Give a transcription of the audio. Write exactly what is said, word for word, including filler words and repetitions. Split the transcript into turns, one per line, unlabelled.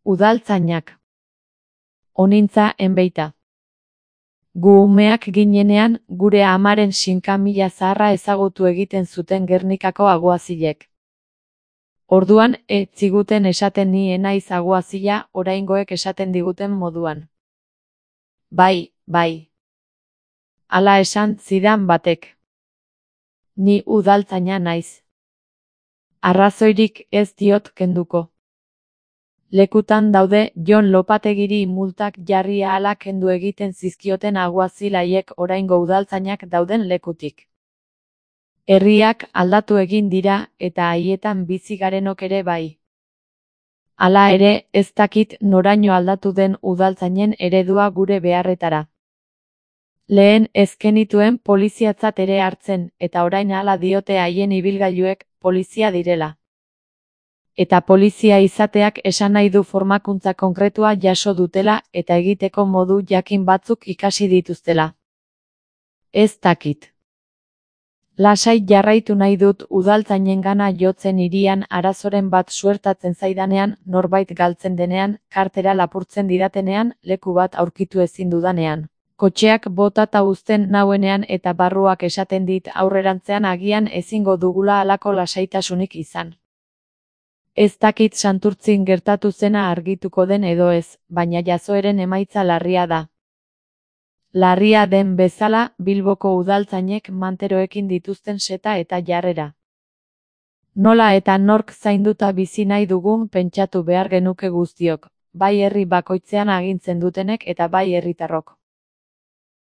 Udaltzainak. Onintza enbeita. Gu umeak ginenean, gure amaren sinkamila zaharra ezagutu egiten zuten Gernikako aguazilek. Orduan, ez ziguten esaten ni enaiz aguazila, oraingoek esaten diguten moduan. Bai, bai. Hala esan zidan batek. Ni udaltzaina naiz. Arrazoirik ez diot kenduko. Lekutan daude Jon Lopategiri multak jarri ahala kendu egiten zizkioten aguazilaiek oraingo udaltzainak dauden lekutik. Herriak aldatu egin dira eta haietan bizi garenok ere bai. Hala ere, ez dakit noraino aldatu den udaltzainen eredua gure beharretara. Lehen ez genituen poliziatzat ere hartzen eta orain hala diote haien ibilgailuek polizia direla. Eta polizia izateak esan nahi du formakuntza konkretua jaso dutela eta egiteko modu jakin batzuk ikasi dituztela. Ez dakit. Lasai jarraitu nahi dut udaltzainengana jotzen hirian arazoren bat suertatzen zaidanean, norbait galtzen denean, kartera lapurtzen didatenean, leku bat aurkitu ezin dudanean. Kotxeak botata uzten nauenean eta barruak esaten dit aurrerantzean agian ezingo dugula halako lasaitasunik izan. Ez dakit Santurtzin gertatu zena argituko den edo ez, baina jazoeren emaitza larria da. Larria den bezala, Bilboko udaltzainek manteroekin dituzten seta eta jarrera. Nola eta nork zainduta bizi nahi dugun pentsatu behar genuke guztiok, bai herri bakoitzean agintzen dutenek eta bai herritarrok.